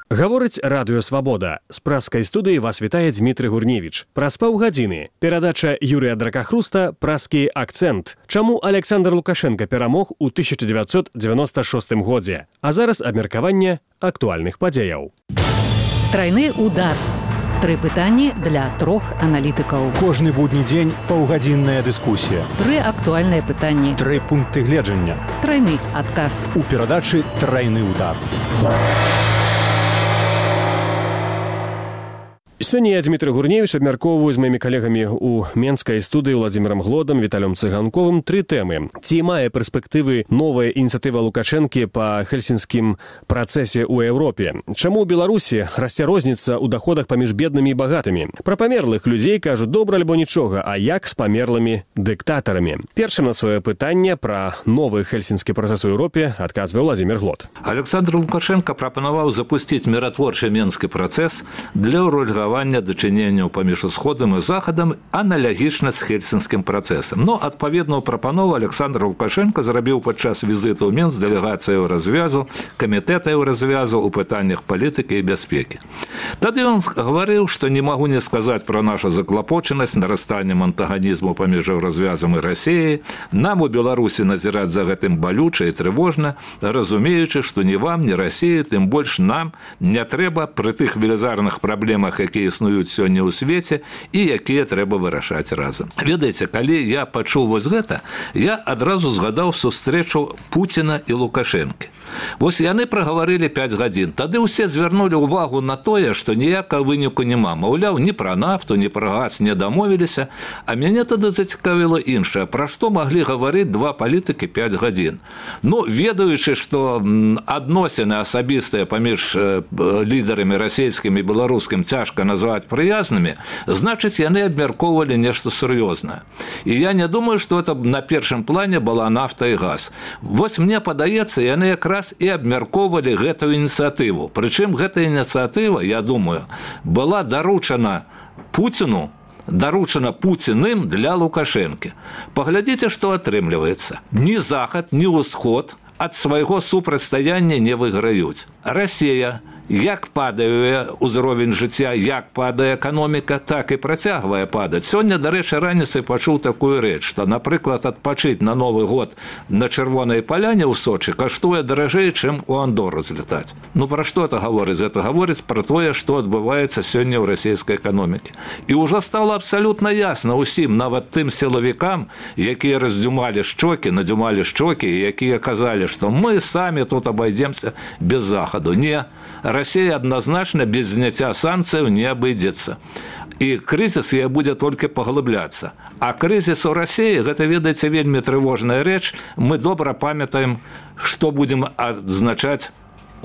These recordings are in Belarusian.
Гаворыць радыё «Свабода». З праскай студыі вас вітае Дмітрый Гурневіч. Праз паўгадзіны перадача Юрыя Дракахруста «Праскі акцэнт». Чаму Александр Лукашенко перамог у 1996 годзе? А зараз абмеркаванне актуальных падзеяў. Трайны удар. 3 пытанні для 3 аналітыкаў. Кожны будні дзень паўгадзінная дыскусія. 3 актуальныя пытанні. 3 пункты гледжання. Трайны адказ. У перадачы «Трайны удар». Сёння я, Дмітрый Гурневіч, абмяркоўваю з маімі калегамі ў менскай студыі Владзімірам Глодам, Віталем Цыганковым 3 тэмы. Ці мае перспектывы новая ініцыятыва Лукашэнкі па хельсінскім працэсе ў Еўропе? Чаму ў Беларусі расце розніца ў даходах паміж беднымі і багатымі? Пра памерлых людзей кажуць добра альбо нічога, а як з памерлымі дыктатарамі? Першым на сваё пытанне пра новы хельсінскі працэс у Еўропе адказвае Владзімір Глод. Александр Лукашенко прапанаваў запусціць міратворчы менскі працэс для ўрэгулявання дачыненняў паміж усходам і захадам аналагічна з хельсінскім працэсам. Но адпаведную прапанову Александр Лукашенко зрабіў падчас візіту ў Мінск дэлегацыі развязу, камітэта развязу ў пытаннях палітыкі і бяспекі. Тады ён гаварыў, што не магу не сказаць пра нашу заклапочанасць нарастаннем антагонізму паміж развязам і Расіяй. Нам у Беларусі назіраць за гэтым балюча і трывожна, разумеючы, што ні вам, ні Расіі, тым больш нам не трэба пры тых велізарных праблемах, якія існуюць сёння ў свеце і якія трэба вырашаць разам. Ведаеце, калі я пачуў вось гэта, я адразу згадаў сустрэчу Пуціна і Лукашэнкі. Вось яны прагаварылі 5 гадзін. Тады ўсе звярнулі ўвагу на тое, што ніякага выніку няма. Маўляў, ні пра нафту, ні пра газ не дамовіліся, а мяне тады зацікавіла іншае. Пра што маглі гаварыць 2 палітыкі 5 гадзін? Ну, ведаючы, што адносіны асабістыя паміж лідарамі расійскім і беларускім цяжка назваць прыязнымі, значыць, яны абмяркоўвалі нешта сур'ёзнае. І я не думаю, што это на першым плане была нафта і газ. Вось мне падаецца, яны якраз і абмяркоўвалі гэтую ініцыятыву. Прычым гэта ініцыятыва, я думаю, была даручана Пуціну, даручана Пуціным для Лукашэнкі. Паглядзіце, што атрымліваецца. Ні захад, ні ўсход ад свайго супрацьстаяння не выйграюць. Расія, як падае ўзровень жыцця, як падае эканоміка, так і працягвае падаць. Сёння, дарэчы, раніцай пачуў такую рэч, што, напрыклад, адпачыць на Новы год на Чырвонай паляне ў Сочы каштуе даражэй, чым у Андору злетаць. Ну, пра што это гаворыць? Гэта гаворыць пра тое, што адбываецца сёння ў расійскай эканомікі. І ўжо стала абсалютна ясна ўсім, нават тым сілавікам, якія раздзюмалі шчокі, надзюмалі шчокі, і якія казалі, што мы самі тут абайдземся без захаду. Не, Расія адназначна без зняцця санкцыяў не абыдзецца. І крызіс яе будзе толькі паглыбляцца. А крызіс у Расіі, гэта, ведаеце, вельмі трывожная рэч. Мы добра памятаем, што будзем адзначаць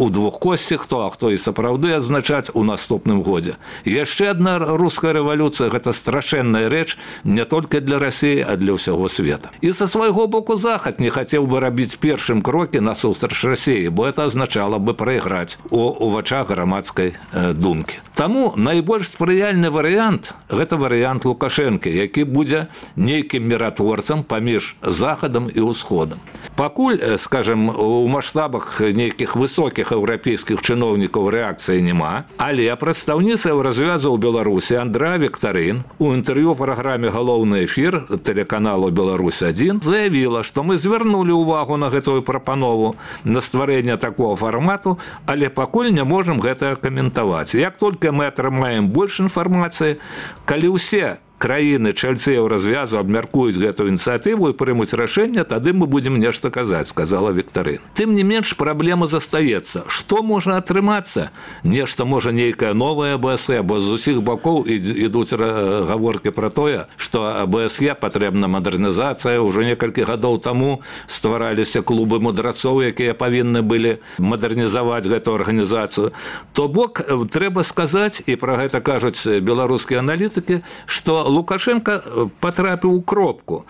у двухкосці, хто і сапраўды адзначаць у наступным годзе. Яшчэ адна руская рэвалюцыя – гэта страшэнная рэч не толькі для Расіі, а для ўсяго света. І са свайго боку захад не хацеў бы рабіць першым крокі насустрач Расіі, бо это азначала бы прайграць у вачах грамадскай думкі. Таму найбольш спрыяльны варыянт – гэта варыянт Лукашэнкі, які будзе нейкім міратворцам паміж захадам і ўсходам. Пакуль, скажем, у маштабах нейкіх высокіх еўрапейскіх чыноўнікаў рэакцыі няма, але прадстаўніца развязу ў Беларусі Андрэа Віктарын у інтэрв'ю праграме «Галоўны эфір» тэлеканалу «Беларусь-1» заявіла, што мы звярнулі ўвагу на гэтую прапанову на стварэнне такого фармату, але пакуль не можам гэта каментаваць. Як толькі мы атрымаем больш інфармацыі, калі ўсе краіны чальцы развязу абмяркуюць гэтую ініцыятыву і прымуць рашэнне, тады мы будзем нешта казаць, сказала Віктарын. Тым не менш, праблема застаецца. Што можа атрымацца? Нешта можа нейкая новая АБСЕ, бо з усіх бакоў ідуць гаворкі пра тое, што АБСЕ патрэбна мадэрнізацыя. Ужо некалькі гадоў таму ствараліся клубы мудрацоў, якія павінны былі мадэрнізаваць гэту арганізацыю. То бок, трэба сказаць, і пра гэта кажуць беларускія аналітыкі, што Лукашенко потрапіў у кропку.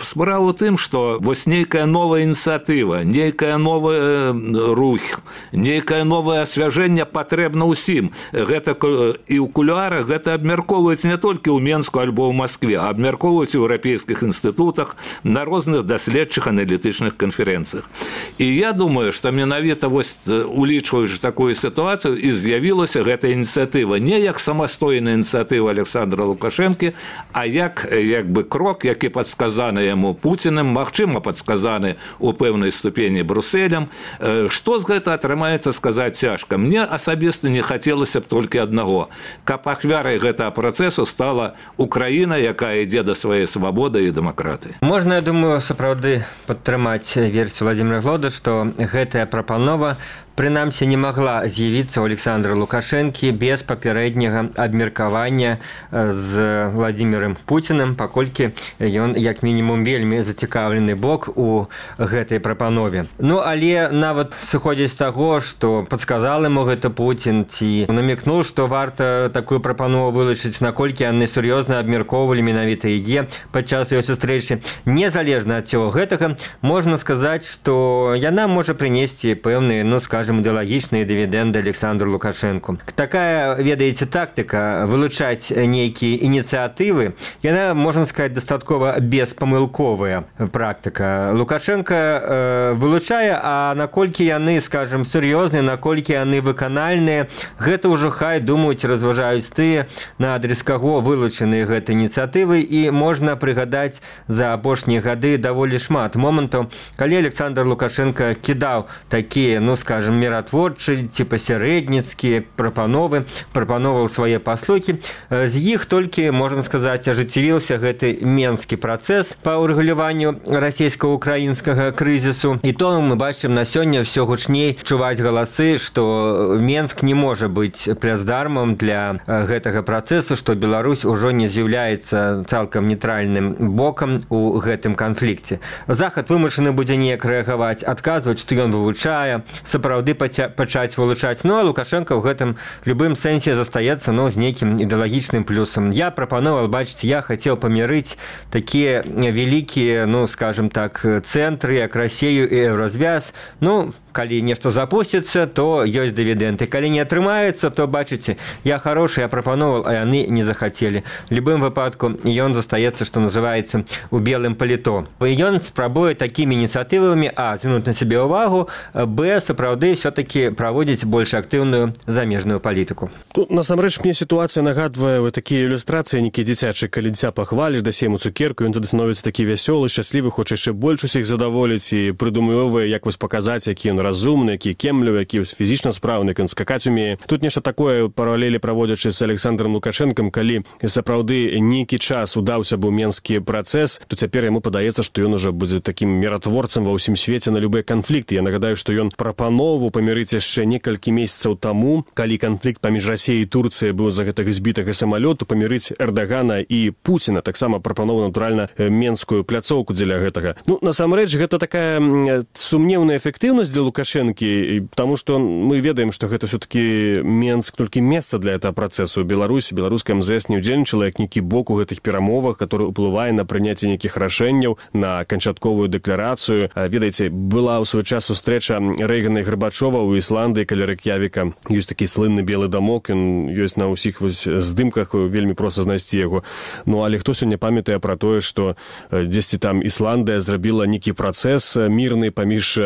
Справа ў тым, што вось нейкая новая ініцыятыва, нейкая новая рух, нейкае новае асвяжэнне патрэбна ўсім. Гэта і ў кулуарах гэта абмяркоўваюць не толькі ў Менску альбо ў Маскве, а абмяркоўваюць у еўрапейскіх інстытутах, на розных даследчых аналітычных канферэнцыях. І я думаю, што менавіта вось улічваючы такую сітуацыю і з'явілася гэта ініцыятыва не як самастойная ініцыятыва Александра Лукашэнкі, а як бы крок, які падсказаны яму Пуціным, магчыма падсказаны ў пэўнай ступені Брусэлем. Што з гэта атрымаецца, сказаць цяжка. Мне асабіста не хацелася б толькі аднаго. Каб ахвярай гэтага працэсу стала Украіна, якая ідзе да сваёй свабоды і дэмакратыі. Можна, я думаю, сапраўды падтрымаць версію Владимира Глода, што гэтая прапанова прынамсі не магла з'явіцца ў Александра Лукашэнкі без папярэдняга абмеркавання з Владимиром Пуціным, паколькі ён, як мінімум, вельмі зацікаўлены бок у гэтай прапанове. Ну, але нават сыходзіць з таго, што падсказал яму гэта Пуцін, ці намекнуў, што варта такую прапанову вылучыць, наколькі яны сур'ёзна абмяркоўвалі менавіта яе падчас яе сустрэчы. Незалежна ад цього гэтага, можна сказаць, што яна можа прынесці пэўныя, ідэалагічныя дывідэнды Александру Лукашэнку. Такая, ведаеце, тактыка вылучаць нейкія ініцыятывы, яна, можна сказаць, дастаткова беспамылковая практыка. Лукашенко вылучае, а наколькі яны, скажем, сур'ёзныя, наколькі яны выканальныя, гэта ўжо хай думаюць, разважаюць тыя, на адрес каго вылучаныя гэтыя ініцыятывы, і можна прыгадаць за апошнія гады даволі шмат момантаў, калі Александр Лукашенко кідаў такія, скажем, міратворчыя ці пасярэдніцкія прапановаў свае паслугі. З іх толькі, можна сказаць, ажыццявіўся гэты менскі працэс па ўрэгуляванню расійска-украінскага крызісу. І то мы бачым на сёння ўсё гучней чуваць галасы, што Менск не можа быць плацдармам для гэтага працэсу, што Беларусь ужо не з'яўляецца цалкам нейтральным бокам у гэтым канфлікце. Захад вымушаны будзе неяк рэагаваць, адказваць, што ён вывучае, сапраўды пачаць вылучаць. Ну, а Лукашенко ў гэтым любым сэнсе застаецца, з нейкім ідэалагічным плюсам. Я прапановал, бачыць, я хацеў памірыць такія вялікія, скажем так, цэнтры, як Расію і Еўразвяз. Калі нешта запусціцца, то ёсць дывідэнды. Калі не атрымаецца, то, бачыце, я хорошы, я прапановал, а яны не захацелі. В любым выпадку ён застаецца, што называецца, у белым паліто. Ён спрабуе такімі ініцыятывамі, звярнуць на сябе ўвагу, сапраўды все-таки праводзіць больш актыўную замежную палітыку. Насамрэч, мне сітуацыя нагадвае такія ілюстрацыі, нейкія дзіцячыя, калі дзіця пахваліш, дасі яму цукерку, ён тады становіцца такі вясёлы, шчаслівы, хоча яшчэ больш усіх задаволіць і прыдумывае, як вось паказаць, які ён разумны, які кемлівы, які фізічна спраўны, ён скакаць умее. Тут нешта такое паралелі праводзячы з Александром Лукашэнкам, калі сапраўды нейкі час удаўся быў менскі працэс, то цяпер яму падаецца, што ён ужо будзе такім міратворцам ва ўсім свеце на любыя канфлікты. Я нагадаю, што ён прапанову памірыць яшчэ некалькі месяцаў таму, калі канфлікт паміж Расіяй і Турцыяй быў за гэтага збітага самалёту, памірыць Эрдагана і Пуціна, таксама прапанову, натуральна, менскую пляцоўку дзеля гэтага. Насамрэч, гэта такая сумнеўная эфектыўнасць для Лукашэнкі, потому что мы ведаем, что гэта все-таки Менск толькі месца для этого працэсу. Беларуская МЗС не удзельнічала як нейкі бок у гэтых перамовах, который уплывае на прыняцце нейкіх рашэнняў, на канчатковую дэкларацыю. Ведаеце, была ў свой час сустрэча Рэйгана і Гарбачова ў Ісландыі каля Рэк'явіка. Ёсць такі слынны белы дамок, ён ёсць на ўсіх здымках, вельмі проста знайсці яго. Але хто сёння памятае пра тое, што дзесьці там Ісландыя зрабіла нейкі працэс мірны паміж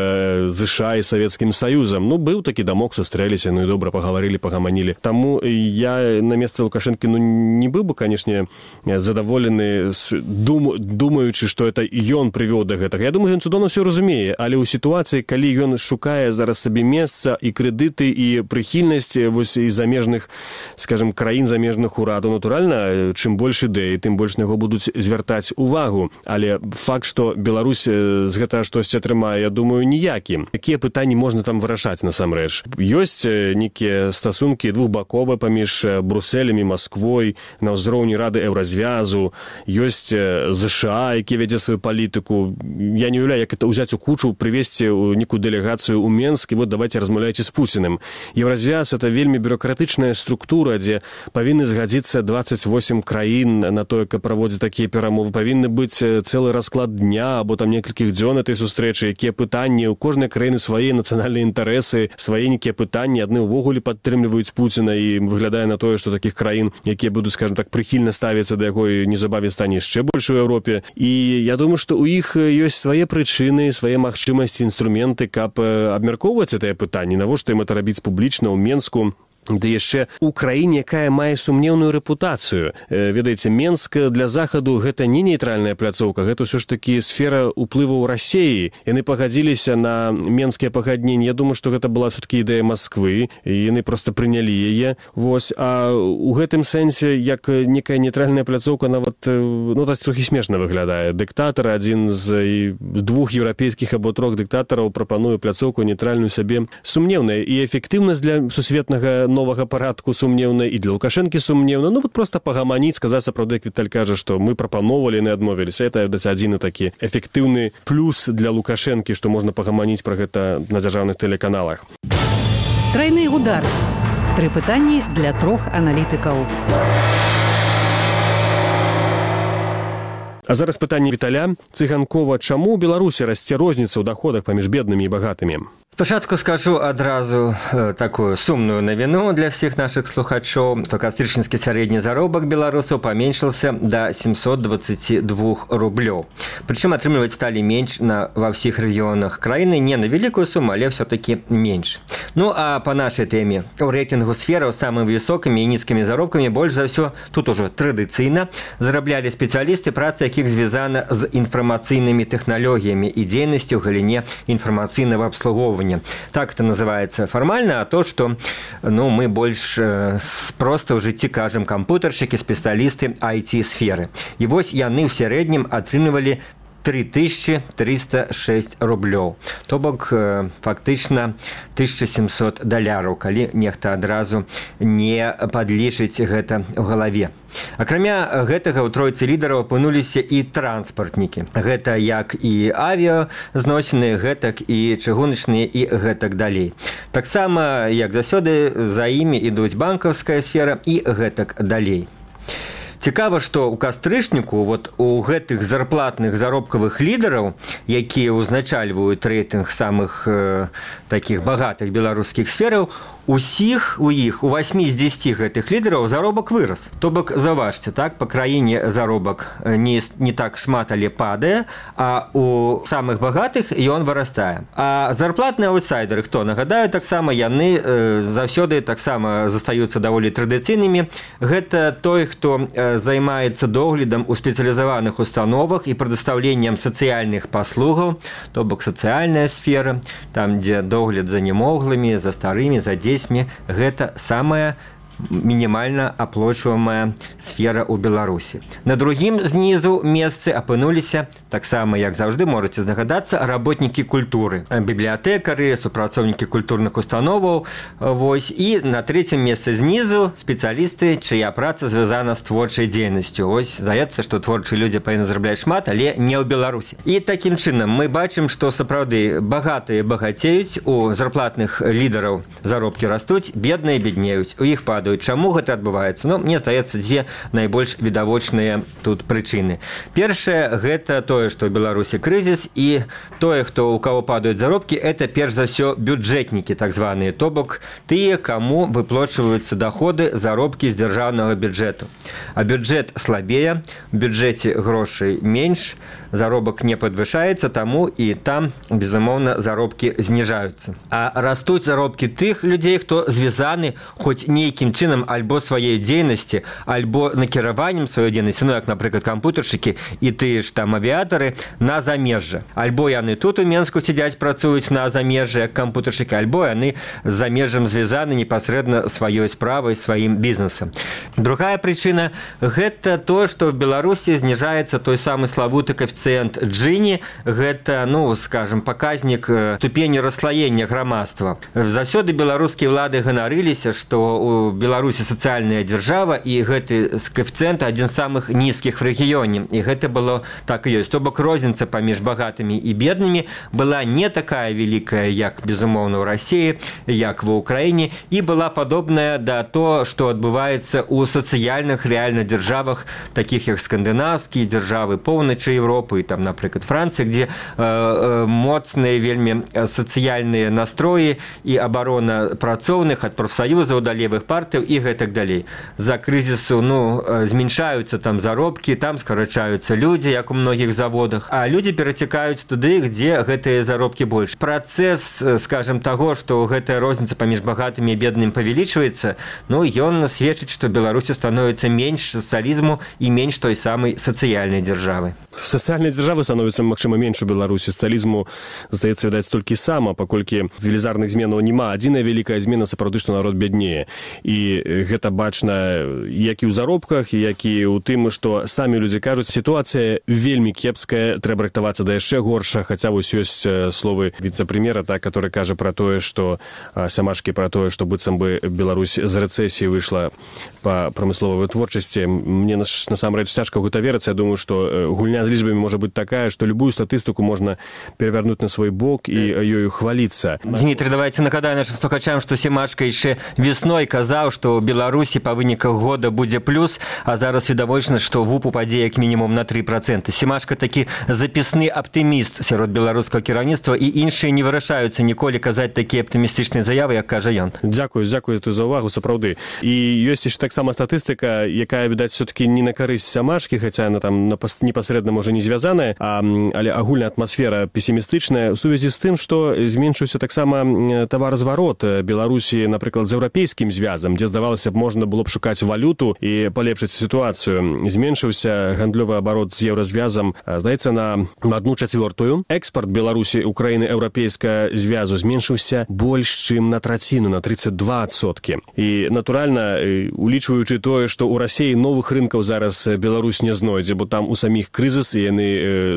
ЗША і Савецкім Саюзам. Быў такі дамок, сустрэліся, і добра пагаварылі, пагаманілі. Таму я на месцы Лукашэнкі не быў бы, канешне, задаволены, думаючы, што это ён прывёў да гэтага. Я думаю, ён цудоўна ўсё разумее, але ў сітуацыі, калі ён шукае зараз сабе месца і крэдыты, і прыхільнасць і замежных, скажем, краін, замежных урадаў, натуральна, чым больш ідэй, тым больш на яго будуць звяртаць увагу. Але факт, што Беларусь з гэтага штосьці атрымае, я думаю, ніякі. Якія пытанні можна там вырашаць насамрэч. Ёсць нейкія стасункі двухбаковыя паміж Брусселем і Масквой на ўзроўні Рады Еўразвязу, ёсць ЗША, які вядзе сваю палітыку. Я не уяўляю, як это ўзяць у кучу, прывесці нейкую дэлегацыю ў Менск, і вот давайте размаўляйце з Пуціным. Еўразвяз — это вельмі бюрократычная структура, дзе павінны згадзіцца 28 краін на тое, каб праводзіць такія перамовы. Павінны быць цэлы расклад дня або там некалькіх дзён этой сустрэчы, якія пытанні, у кожнай краіны свае нацыянальныя інтарэсы, свае нейкія пытанні, адны ўвогуле падтрымліваюць Пуціна, і выглядае на тое, што такіх краін, якія будуць, скажем так, прыхільна ставіцца да яго, і неўзабаве стане яшчэ больш у Еўропе. І я думаю, што ў іх ёсць свае прычыны, свае магчымасці, інструменты, каб абмяркоўваць гэтае пытанне. Навошта ім это рабіць публічна ў Менску? Да яшчэ ў краіне, якая мае сумнеўную рэпутацыю. Ведаеце, Менск для Захаду — гэта не нейтральная пляцоўка, гэта ўсё ж такі сфера ўплываў Расіі. Яны пагадзіліся на менскія пагадненні. Я думаю, што гэта была все-таки ідэя Масквы, і яны проста прынялі яе. Вось. А ў гэтым сэнсе, як некая нейтральная пляцоўка, нават, так трохі смешна выглядае. Дыктатар, адзін з двух еўрапейскіх або трох дыктатараў, прапануе пляцоўку нейтральную сабе. Сумнеўная і эфектыўнасць для сусветнага новага парадку сумнеўна, і для Лукашэнкі сумнеўна. Вот просто пагаманіць, сказаць сапраўды, як Віталь кажа, што мы прапановалі, яны адмовіліся. Это адзіны такі эфектыўны плюс для Лукашэнкі, што можна пагаманіць пра гэта на дзяржаўных тэлеканалах. Трайны удар. 3 пытанні для 3 аналітыкаў. А зараз пытанне Віталя Цыганкова. Чаму ў Беларусі расце розніца ў даходах паміж беднымі і багатымі? Спачатку скажу адразу такую сумную навіну для всіх наших слухачоў, што кастрычніцкі сярэдні заробак беларусаў паменшыўся да 722 рублёў. Прычым атрымліваць сталі менш ва ўсіх рэгіёнах краіны, не на вялікую суму, але все-таки менш. Ну а па нашай тэме, у рэйтынгу сфераў самымі высокімі і нізкімі заробкамі больш за ўсё тут ужо традыцыйна зараблялі спецыялісты, праца якіх звязана з інфармацыйнымі тэхналогіямі і дзейнасцю ў галіне інфармацыйнага абслугоўвання. Так это называется формально, а то, что мы больше просто в жыцці кажем кампутаршчыкі, спецыялісты IT-сферы. І вось яны ў сярэднім атрымлівалі 3306 рублёў. То бок фактычна $1700, калі нехта адразу не падлічыць гэта ў галаве. Акрамя гэтага ў тройцы лідараў апынуліся і транспартнікі. Гэта як і авіазносіны, гэтак і чыгуначныя і гэтак далей. Таксама, як заўсёды, за імі ідуць банкаўская сфера і гэтак далей. Цікава, што ў кастрычніку у гэтых зарплатных заробкавых лідараў, якія ўзначальваюць рэйтынг самых такіх багатых беларускіх сфераў, у іх у 8 з 10 гэтых лідараў заробак вырас. То бок, заўважце, так, па краіне заробак не так шмат, але падае, а у самых багатых ён вырастае. А зарплатныя аўтсайдеры, хто? Нагадаю, таксама яны заўсёды таксама застаюцца даволі традыцыйнымі. Гэта той, хто займаецца доглядам у спецыялізаваных установах і прадастаўленнем сацыяльных паслугаў, то бок сацыяльная сфера, там, дзе догляд за немоглымі, за старымі, за дзецьмі, гэта самая мінімальна аплачваемая сфера ў Беларусі. На другім знізу месцы апынуліся, таксама, як заўжды, можаце здагадацца, работнікі культуры, бібліятэкары, супрацоўнікі культурных установаў, і на трэцім месцы знізу спецыялісты, чыя праца звязана з творчай дзейнасцю. Здаецца, што творчыя людзі павінны зарабляць шмат, але не ў Беларусі. І такім чынам мы бачым, што сапраўды багатыя багацеюць, у зарплатных лідараў заробкі растуць, бедныя беднеюць, у іх падаюць. Чаму гэта адбываецца? Мне здаецца, дзве найбольш відавочныя тут прычыны. Першае, гэта тое, што ў Беларусі крызіс, і тое, у каго падаюць заробкі, это перш за ўсё бюджэтнікі, так званыя, то бок тыя, каму выплачваюцца даходы, заробкі з дзяржаўнага бюджэту. А бюджэт слабее, у бюджэце грошай менш, заробак не падвышаецца, таму і там, безумоўна, заробкі зніжаюцца. А растуць заробкі тых людзей, хто звязаны хоць нейкім чынам альбо сваёй дзейнасці, альбо накіраваннем сваёй дзейнасці, ну як, напрыклад, кампутаршчыкі і тыя ж там авіятары на замежжа. Альбо яны тут у Менску сядзяць, працуюць на замежжа як кампутаршчыкі, альбо яны з замежжам звязаны непасрэдна сваёй справай, сваім бізнесам. Другая прычына – гэта тое, што в Беларусі зніжаецца той самы славуты коэфіцыент Джині, гэта, ну, скажем, паказнік ступені расслаення грамадства. Заўсёды беларускія ўлады ганарыліся, што у Беларусі сацыяльная дзяржава, і гэты коэфіцыент адзін з самых нізкіх в рэгіёне. І гэта было так і ёсць. То бок розніца паміж багатымі і беднымі была не такая вялікая, як, безумоўна, ў Расіі, як ва Ўкраіне, і была падобная да то, што адбываецца ў сацыяльных рэальна дзяржавах, такіх як скандынаўскія дзяржавы, поўначы Еўропы, там, напрыклад, Францыя, дзе моцныя вельмі сацыяльныя настроі і абарона працоўных ад прафсаюзаў да левых партыяў і гэтак далей. За крызісу, ну, зменшаюцца там заробкі, там скарачаюцца людзі, як у многіх заводах, а людзі перацякаюць туды, дзе гэтыя заробкі больш. Працэс, скажем, таго, што гэтая розніца паміж багатымі і беднымі павялічваецца, ну, ён сведчыць, што Беларусі становіцца менш сацыялізму і менш той самай сацыяльнай дзяржавы. Сацыяльнай дзяржавы становіцца, магчыма, менш у Беларусі. Сацыялізму, здаецца, відаць, толькі сама, паколькі велізарных зменаў няма. Адзіная вялікая змена сапраўды, што народ бяднее. І гэта бачна як і ў заробках, як і ў тым, што самі людзі кажуць, сітуацыя вельмі кепская, трэба рыхтавацца да яшчэ горша, хаця вось ёсць словы віцэ-прэм'ера, так, который кажа пра тое, што Сямашкі пра тое, што быццам бы Беларусь з рэцэсіі выйшла па прамысловай вытворчасці. Мне насамрэч цяжка ў гэта верыцца. Я думаю, што гульня з лічбамі можа быць такая, што любую статыстыку можна перавярнуць на свой бок і ёю хваліцца. Дмітрий, давайте нагадаю нашим слухачам, што Семашка яшчэ весной казаў, што ў Беларусі па выніках года будзе плюс, а зараз відавочна, што ВУП упадзе як мінімум на 3%. Семашка такі запісны аптыміст сярод беларускага кіраўніцтва, і іншыя не вырашаюцца ніколі казаць такія аптымістычныя заявы, як кажа ён. Дзякую за ўвагу, сапраўды. І ёсць яшчэ таксама статыстыка, якая, відаць, все-таки не на карысць Сямашкі, хаця яна там непасрэдна можа не звязаная, але агульная атмасфера песімістычная ў сувязі з тым, што зменшыўся таксама таваразварот Беларусі, напрыклад, з еўрапейскім звязам, дзе, здавалася б, можна было б шукаць валюту і палепшыць сітуацыю. Зменшыўся гандлёвы абарот з еўразвязам, здаецца, на 1/4. Экспарт Беларусі ў краіны еўрапейскага звязу зменшыўся больш, чым на траціну, на 32%. І, натуральна, улічваючы тое, што ў Расіі новых рынкаў зараз Беларусь не знойдзе, бо там у саміх крызіс, і яны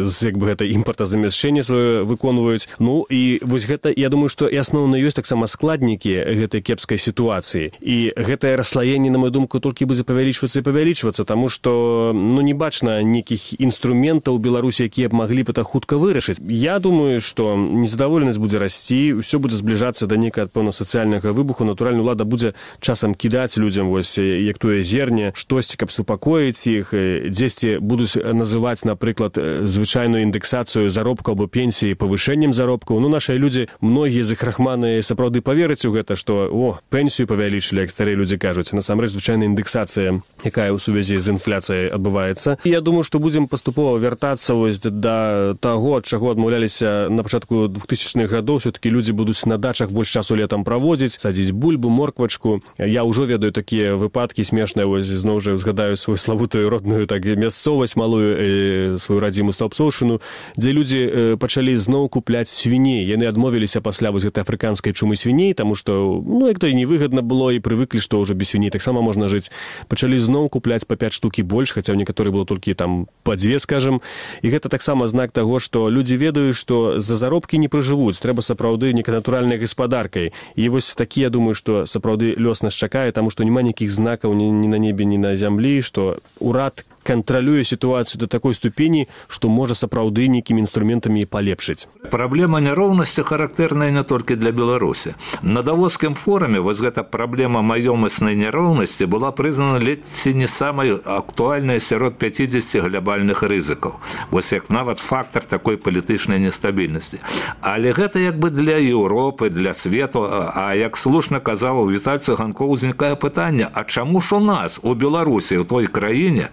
як бы гэта імпартазамяшчэнне сваё выконваюць. Ну, і вось гэта, я думаю, што і асноўна ёсць таксама складнікі гэтай кепскай сітуацыі. І гэтае расслаенне, на мою думку, толькі будзе павялічвацца і павялічвацца, таму што, ну, не бачна нейкіх інструментаў у Беларусі, якія б маглі б это хутка вырашыць. Я думаю, што незадаволенасць будзе расці, ўсё будзе збліжацца да нейкага, пэўна, сацыяльнага выбуху. Натуральна, ўлада будзе часам кідаць людзям, вось, як тое зерне, штосьці, каб супакоіць іх, дзесьці будуць называць, напрыклад, звычайную індэксацыю заробкаў або пенсіі павышэннем заробкаў. Ну, нашыя людзі, многія з іх рахманы, сапраўды павераць у гэта, што, пенсію павялічылі, як старыя людзі кажуць. Насамрэч, звычайная індексацыя, якая ў сувязі з інфляцыяй адбываецца. І я думаю, што будзем паступова вяртацца вось да таго, ад чаго адмаўляліся на пачатку 2000-х гадоў. Все-таки людзі будуць на дачах больш часу летам праводзіць, садзіць бульбу, морквачку. Я ўжо ведаю такія выпадкі смешныя, вось зноў жа узгадаю свою славутую родную так мясцовасць малую, сваю радзіму Стаўпсоўшчыну, дзе людзі пачалі зноў купляць свіней. Яны адмовіліся пасля вось гэтай афрыканскай чумы свіней, таму што, ну, як то і невыгадна было, і прывыклі, што ўжо без свіней таксама можна жыць. Пачалі зноў купляць па 5 штук і больш, хаця ў некаторых было толькі там па 2, скажам. І гэта таксама знак таго, што людзі ведаюць, што за заробкі не прыжывуць, трэба сапраўды нейкай натуральнай гаспадаркай. І вось такі, я думаю, што сапраўды лёс нас чакае, таму што няма ніякіх знакаў ні на небе, ні на зямлі, што ўрад кантралюе сітуацыю до такой ступені, што можа сапраўды нейкімі інструментамі палепшыць. Праблема няроўнасці характэрная не толькі для Беларусі. На Давоскім форуме вось гэта праблема маёмаснай няроўнасці была прызнана ледзь не самай актуальнай сярод 50 глобальных рызыкаў. Вось як нават фактар такой палітычнай нестабільнасці. Але гэта як бы для Еўропы, для свету, а як слушна казаў Віталь Цыганкоў, узнікае пытанне, а чаму ж у нас, у Беларусі, у той краіне,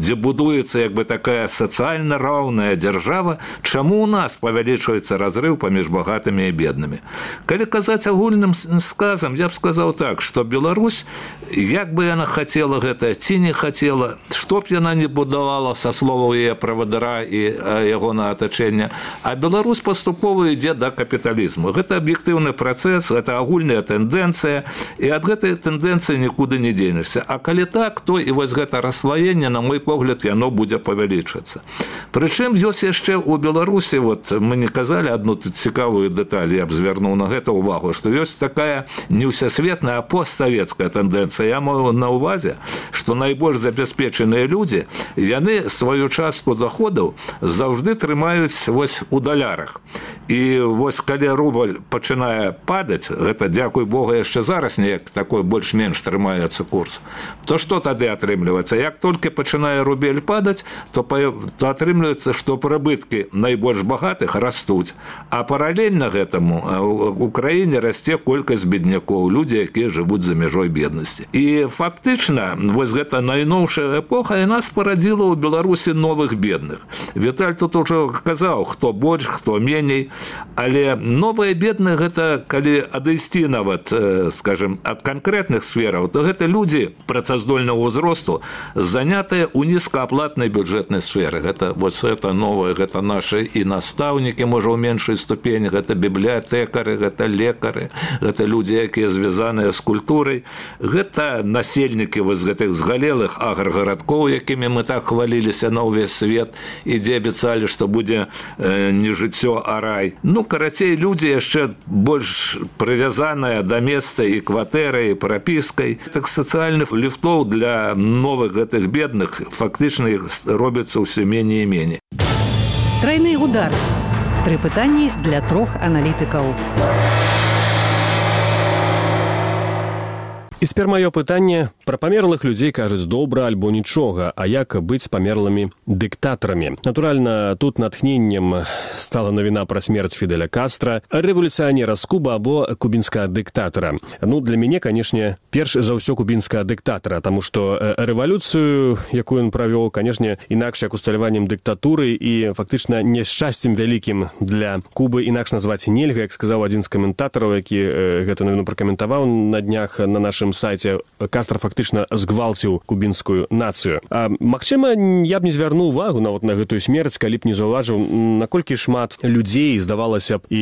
дзе будуецца як бы такая сацыяльна роўная дзяржава, чаму ў нас павялічваецца разрыв паміж багатымі і беднымі? Калі казаць агульным сказам, я б сказаў так, што Беларусь, як бы яна хацела гэта ці не хацела, што б яна не будавала са словаў яе правадыра і ягонага атачэння, а Беларусь паступова ідзе да капіталізму. Гэта аб'ектыўны працэс, гэта агульная тэндэнцыя, і ад гэтай тэндэнцыі нікуды не дзенешся. А калі так, то і вось гэта расслаенне, на мой погляд, яно будзе павялічвацца. Прычым ёсць яшчэ ў Беларусі, вот мы не казалі адну цікавую дэталь, я б звярнуў на гэта ўвагу, што ёсць такая не ўсесветная, а постсавецкая тэндэнцыя. Я маю на ўвазе, што найбольш забяспечаныя людзі, яны сваю частку доходаў заўжды трымаюць вось у далярах. І вось калі рубль пачынае падаць, гэта, дзякуй Богу, яшчэ зараз неяк такой больш-менш трымаецца курс, то што тады атрымліваецца? Як толькі пачынае рубель падаць, то атрымліваецца, што прыбыткі найбольш багатых растуць, а паралельна гэтаму у краіне расце колькасць беднякоў, людзі, якія жывуць за мяжой беднасці. І фактычна, вось гэта найноўшая эпоха, яна спарадзіла ў Беларусі новых бедных. Віталь тут ужо казаў, хто больш, хто меней, але новыя бедныя гэта, калі адысці нават, скажем, ад канкрэтных сфераў, то гэта людзі працаздольнага ўзросту, занятыя ў нізкааплатнай бюджэтнай сферы. Гэта вось это новае, гэта нашы і настаўнікі, можа, ў меншай ступені, гэта бібліятэкары, гэта лекары, гэта людзі, якія звязаныя з культурай, гэта насельнікі вось гэтых згалелых аграгарадкоў, якімі мы так хваліліся на ўвесь свет, і дзе абяцалі, што будзе не жыццё, а рай. Ну, карацей, людзі яшчэ больш прывязаныя да месца і кватэрай, і прапіскай. Так сацыяльных ліфтоў для новых гэтых бедных фактычна іх робіцца ўсё меней і меней. Трайны удар. 3 пытанні для 3 аналітыкаў. І цяпер маё пытанне пра памерлых людзей кажуць добра альбо нічога, а як быць з памерлымі дыктатарамі. Натуральна, тут натхненнем стала навіна пра смерць Фідэля Кастра, рэвалюцыянера з Куба або кубінскага дыктатара. Ну, для мяне, канешне, перш за ўсё кубінскага дыктатара, таму што рэвалюцыю, якую ён правёў, канешне, інакш як усталяваннем дыктатуры і фактычна няшчасцем вялікім для Кубы інакш назваць нельга, як сказаў адзін з каментатараў, які гэту навіну пракаментаваў на днях на нашым сайце. Кастра фактычна згвалціў кубінскую нацыю. Магчыма, я б не звярнуў увагу нават на гэтую смерць, калі б не заўважыў, наколькі шмат людзей, здавалася б, і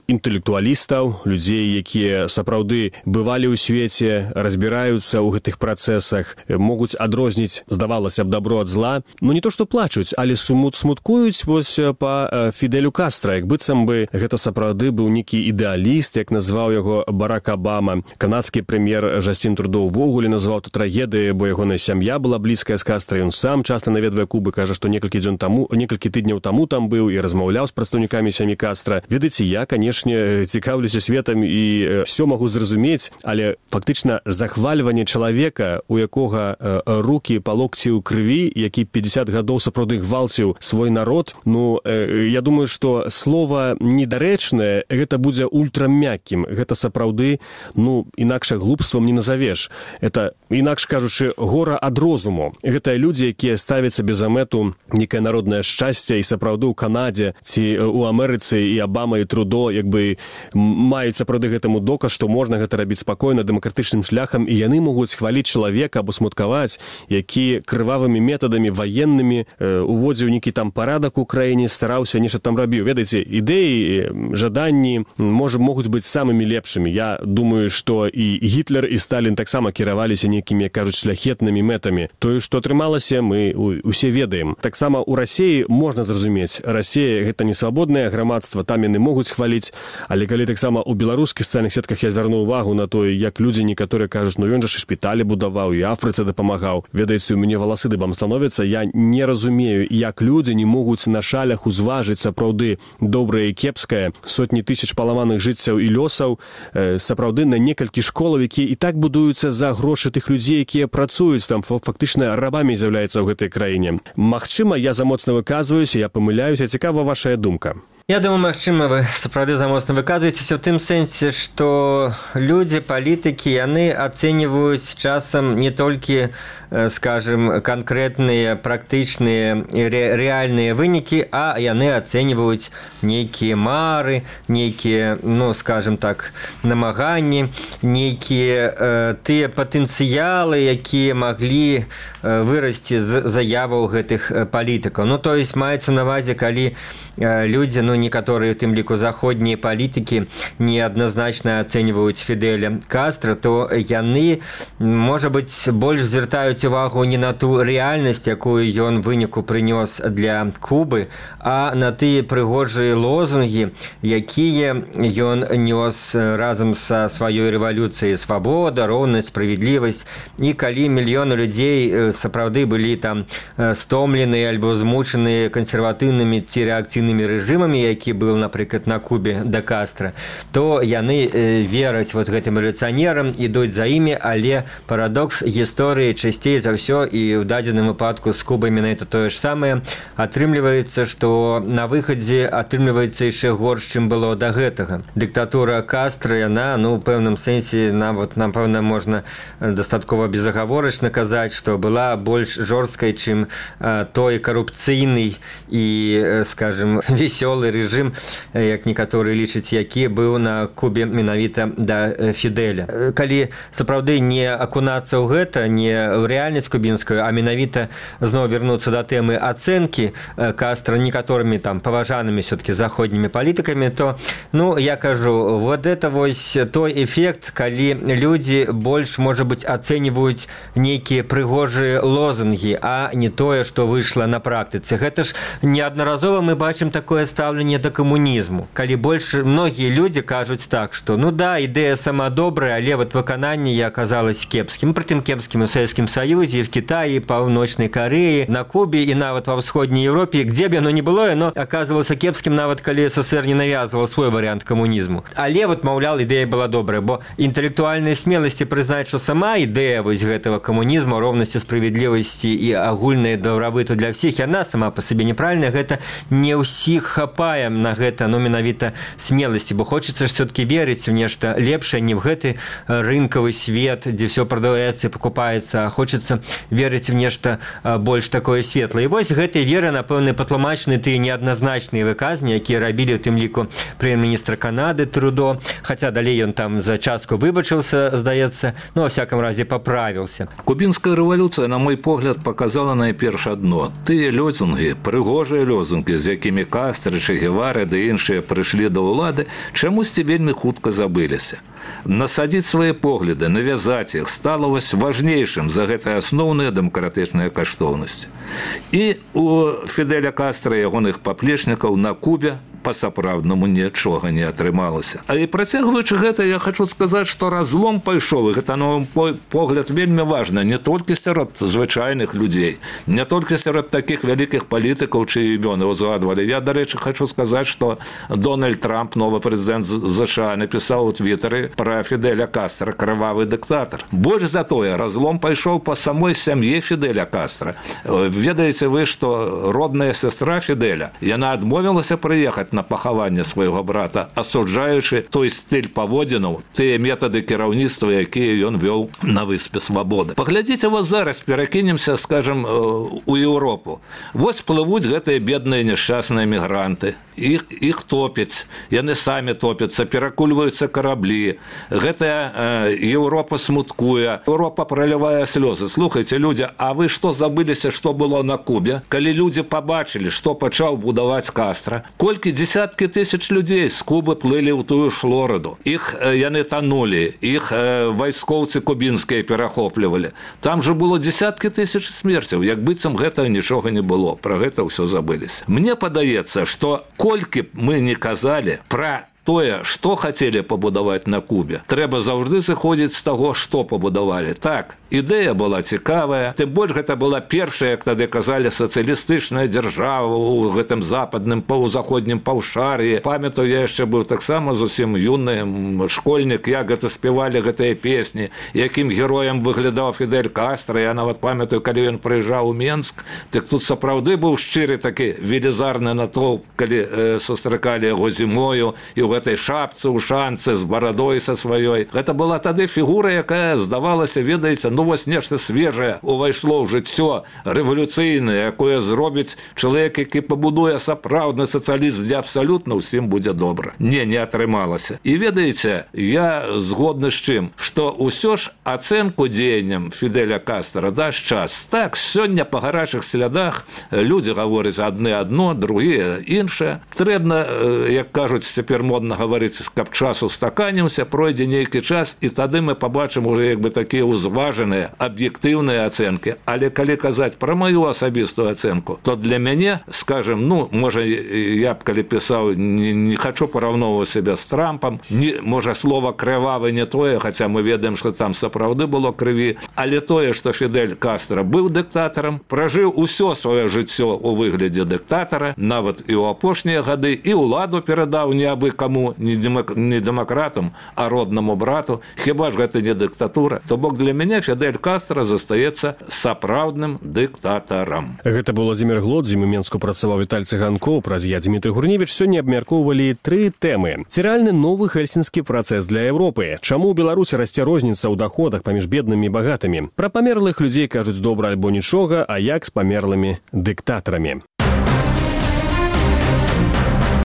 інтэлектуалістаў, людзей, якія сапраўды бывалі ў свеце, разбіраюцца ў гэтых працэсах, могуць адрозніць, здавалася б, добро ад зла. Ну, не то, што плачуць, але смуткуюць вось па Фідэлю Кастра, як быццам бы гэта сапраўды быў нейкі ідэаліст, як назваў яго Барак Абама. Канадскі прэм'ер Жастін Трудо ўвогуле назваў тут трагедыяй, бо ягоная сям'я была блізкая з Кастра, ён сам часта наведвае Кубы, кажа, што некалькі тыдняў таму там быў і размаўляў з прадстаўнікамі сям'і Кастра. Ведаеце, я, канешне, цікаўлюся светам і ўсё магу зразумець, але фактычна захвальванне чалавека, у якога рукі па локці ў крыві, які 50 гадоў сапраўды гвалціў свой народ, ну, я думаю, што слова недарэчнае, гэта будзе ультрамяккім. Гэта сапраўды, ну, інакша глупствам не назавеш. Это, інакш кажучы, гора ад розуму. Гэта людзі, якія ставяць сабе за мэту некае народнае шчасце, і сапраўды ў Канадзе ці ў Амерыцы і Абама і Трудо як бы маюць сапраўды гэтаму доказ, што можна гэта рабіць спакойна, дэмакратычным шляхам, і яны могуць хваліць чалавека або смуткаваць, які крывавымі метадамі ваеннымі уводзіў нейкі там парадак у краіне, стараўся, нешта там рабіў. Ведаеце, ідэі, жаданні могуць быць самымі лепшымі. Я думаю, што і Гітлер, і Сталін таксама кіраваліся нейкімі, кажуць, шляхетнымі мэтамі. Тое, што атрымалася, мы усе ведаем. Таксама ў Расіі можна зразумець. Расія — гэта не свабоднае грамадства, там яны могуць хваліць, але калі таксама ў беларускіх сацыяльных сетках я звярну ўвагу на тое, як людзі некаторыя кажуць, ну ён жа шпіталі будаваў, і Афрыцы дапамагаў. Ведаеце, у мяне валасы дыбам становяцца, я не разумею, як людзі не могуць на шалях узважыць сапраўды добрае і кепскае, сотні тысяч паламаных жыццяў і лёсаў, сапраўды на некалькі школаў, якія і так будуюцца за грошы тых людзей, якія працуюць там, фактычна рабамі з'яўляюцца ў гэтай краіне. Магчыма, я замоцна выказваюся, я памыляюся. Цікава вашая думка. Я думаю, магчыма, вы сапраўды замоцна выказваецеся ў тым сэнсе, што людзі, палітыкі, яны ацэньваюць часам не толькі, скажем, канкрэтныя, практычныя, рэальныя вынікі, а яны ацэньваюць нейкія мары, нейкія, ну, скажем так, намаганні, нейкія тыя патэнцыялы, якія маглі вырасці з заяваў гэтых палітыкаў. Ну, то есть маецца на ўвазе, калі людзі, ну, некаторыя, у тым ліку заходнія палітыкі, неадназначна ацэньваюць Фідэля Кастра, то яны, можа быць, больш звяртаюць увагу не на ту рэальнасць, якую ён выніку прынёс для Кубы, а на тыя прыгожыя лозунгі, якія ён нёс разам са сваёй рэвалюцыяй: свабода, роўнасць, справядлівасць. І калі мільёны людзей сапраўды былі там стомленыя альбо змучаныя кансерватыўнымі ці рэакцыйнымі рэжымамі, які быў, напрыклад, на Кубе да Кастра, то яны вераць вот гэтым рэвалюцыянерам, ідуць за імі, але парадокс гісторыі часцей за ўсё, і ў дадзеным выпадку з Кубай менавіта тое ж самае, атрымліваецца, што на выхадзе атрымліваецца яшчэ горш, чым было да гэтага. Дыктатура Кастра, яна, ну, ў пэўным сэнсе, нават, напэўна, можна дастаткова безагаворачна казаць, што была больш жорсткай, чым той карупцыйны і, скажем, весёлы рэжым, як некаторыя лічаць, які быў на Кубе менавіта да Фідэля. Калі сапраўды не акунацца ў гэта, не ў рэальнасць кубінскую, а менавіта зноў вярнуцца да тэмы ацэнкі Кастра некаторымі там паважанымі все-таки заходнімі палітыкамі, то, ну, я кажу, вот это вось той эфект, калі людзі больш, можа быць, ацэньваюць нейкія прыгожыя лозунгі, а не тое, што выйшла на практыцы. Гэта ж неаднаразова мы бачым такое стаўленне да камунізму. Калі больш многія людзі кажуць так, што, ну да, ідэя сама добрая, але вот выкананне аказалось кепскім. Прытым кепскім у Савецкім Саюзе, в Кітаі, Паўночнай Карэі, на Кубе і нават ва ўсходняй Еўропе, где б яно не было, яно аказвалася кепскім, нават калі СССР не навязваў свой варыянт камунізму. Але вот, маўляў, ідэя была добрая, бо інтэлектуальнай смеласці прызнаць, што сама ідэя вось гэтага камунізму, роўнасці, справядлівасці і агульнай дабрабыту для ўсіх, яна сама па сабе неправільная. Гэта не ўсіх хапае на гэта, ну, менавіта смеласці, бо хочацца ж все-таки верыць у нешта лепшае, не в гэты рынкавы свет, дзе все прадаваецца і пакупаецца, а хочацца верыць у нешта больш такое светлае. І вось гэтай веры, напэўна, патлумачаны тыя неадназначныя выказні, якія рабілі, у тым ліку, прэм'ер-міністр Канады Трудо, хаця далей ён там за частку выбачыўся, здаецца, ну, во всяком разе, паправіўся. Кубінская рэвалюцыя, на мой погляд, показала найперш адно: тыя лозунгі, прыгожыя лозунгі, з якімі Кастра, Че Гевара ды іншыя прыйшлі да ўлады, чамусьці вельмі хутка забыліся. Насадзіць свае погляды, навязаць іх стала вось важнейшым за гэтыя асноўныя дэмакратычныя каштоўнасці. І у Фідэля Кастра і ягоных паплечнікаў на Кубе па-сапраўднаму нічога не атрымалася. А і працягваючы гэта, я хочу сказаць, што разлом пайшоў, і гэта, на мой погляд, вельмі важна не толькі сярод звычайных людзей, не толькі сярод такіх вялікіх палітыкаў, чые імёны узгадвалі. Я, дарэчы, хочу сказаць, што Дональд Трамп, новы прэзідэнт США, напісаў у Твітары пра Фідэля Кастра: крывавы дыктатар. Больш за тое, разлом пайшоў па самой сям'і Фідэля Кастра. Ведаеце вы, што родная сястра Фідэля, яна адмовілася прыехаць на пахаванне свайго брата, асуджаючы той стыль паводзінаў, тыя метады кіраўніцтва, якія ён вёў на выспе Свабоды. Паглядзіце, вось зараз перакінемся, скажем, у Еўропу. Вось плывуць гэтыя бедныя няшчасныя мігранты. Іх топяць, яны самі топяцца, перакульваюцца караблі. Гэтая Еўропа смуткуе, Еўропа пролівае слёзы. Слухайце, людзі, а вы што забыліся, што было на Кубе? Калі людзі пабачылі, што пачаў будаваць Кастра, колькі десяткі тысяч людзей з Кубы плылі ў тую ж Флорыду. Іх яны танулі, іх вайскоўцы кубінскія перахоплівалі. Там же было десяткі тысяч смерцяў, як быццам гэтага нічога не было. Пра гэта ўсё забыліся. Мне падаецца, што колькі б мы не казалі пра тое, што хацелі пабудаваць на Кубе, трэба заўжды зыходзіць з таго, што пабудавалі. Так, ідэя была цікавая, тым больш гэта была першая, як тады казалі, сацыялістычная дзяржава ў гэтым западным паўзаходнім паўшар'і. Памятаю, я яшчэ быў таксама зусім юны школьнік, як гэта спявалі гэтыя песні, якім героем выглядаў Фідель Кастра. Я нават памятаю, калі ён прыязджаў у Менск, так тут сапраўды быў шчыры такі велізарны натоўп, калі сустракалі яго зімою і ў гэтай шапцы, у шанцы, з барадой са сваёй. Гэта была тады фігура, якая здавалася, ведаеце, ну вось нешта свежае увайшло ў жыццё рэвалюцыйнае, якое зробіць чалавек, які пабудуе сапраўдны сацыялізм, дзе абсалютна ўсім будзе добра. Не атрымалася. І ведаеце, я згодны з чым, што ўсё ж ацэнку дзеянням Фідэля Кастра дасць час. Так, сёння па гарачых слядах людзі гавораць адны адно, другія іншае. Трэбна, як кажуць, цяпер модна гаварыць, каб час устаканімся, пройдзе нейкі час, і тады мы пабачым уже як бы такія ўзважаныя, аб'ектыўныя ацэнкі. Але калі казаць пра маю асабістую ацэнку, то для мяне, скажем, ну, можа, я б калі пісаў, не хочу параўноўваць сябе з Трампам, можа, слова крывавы не тое, хаця мы ведаем, што там сапраўды было крыві, але тое, што Фідель Кастра быў дыктатарам, пражыў усё сваё жыццё ў выглядзе дыктатара, нават і ў апошнія гады, і ўладу перадаў не абы каму, не дэмакратам, а роднаму брату. Хіба ж гэта не дыктатура? То бок для мяне Фідель Кастра застаецца сапраўдным дыктатарам. Гэта быў Владзімір Глодзім, у Менску працаваў Віталь Цыганкоў, праз я, Дмітрый Гурневіч. Сёння абмяркоўвалі 3 тэмы. Ці рэальны новы хельсінскі працэс для Еўропы? Чаму ў Беларусі расце розніца ў даходах паміж беднымі і багатымі? Пра памерлых людзей кажуць добра альбо нічога, а як з памерлымі дыктатарамі?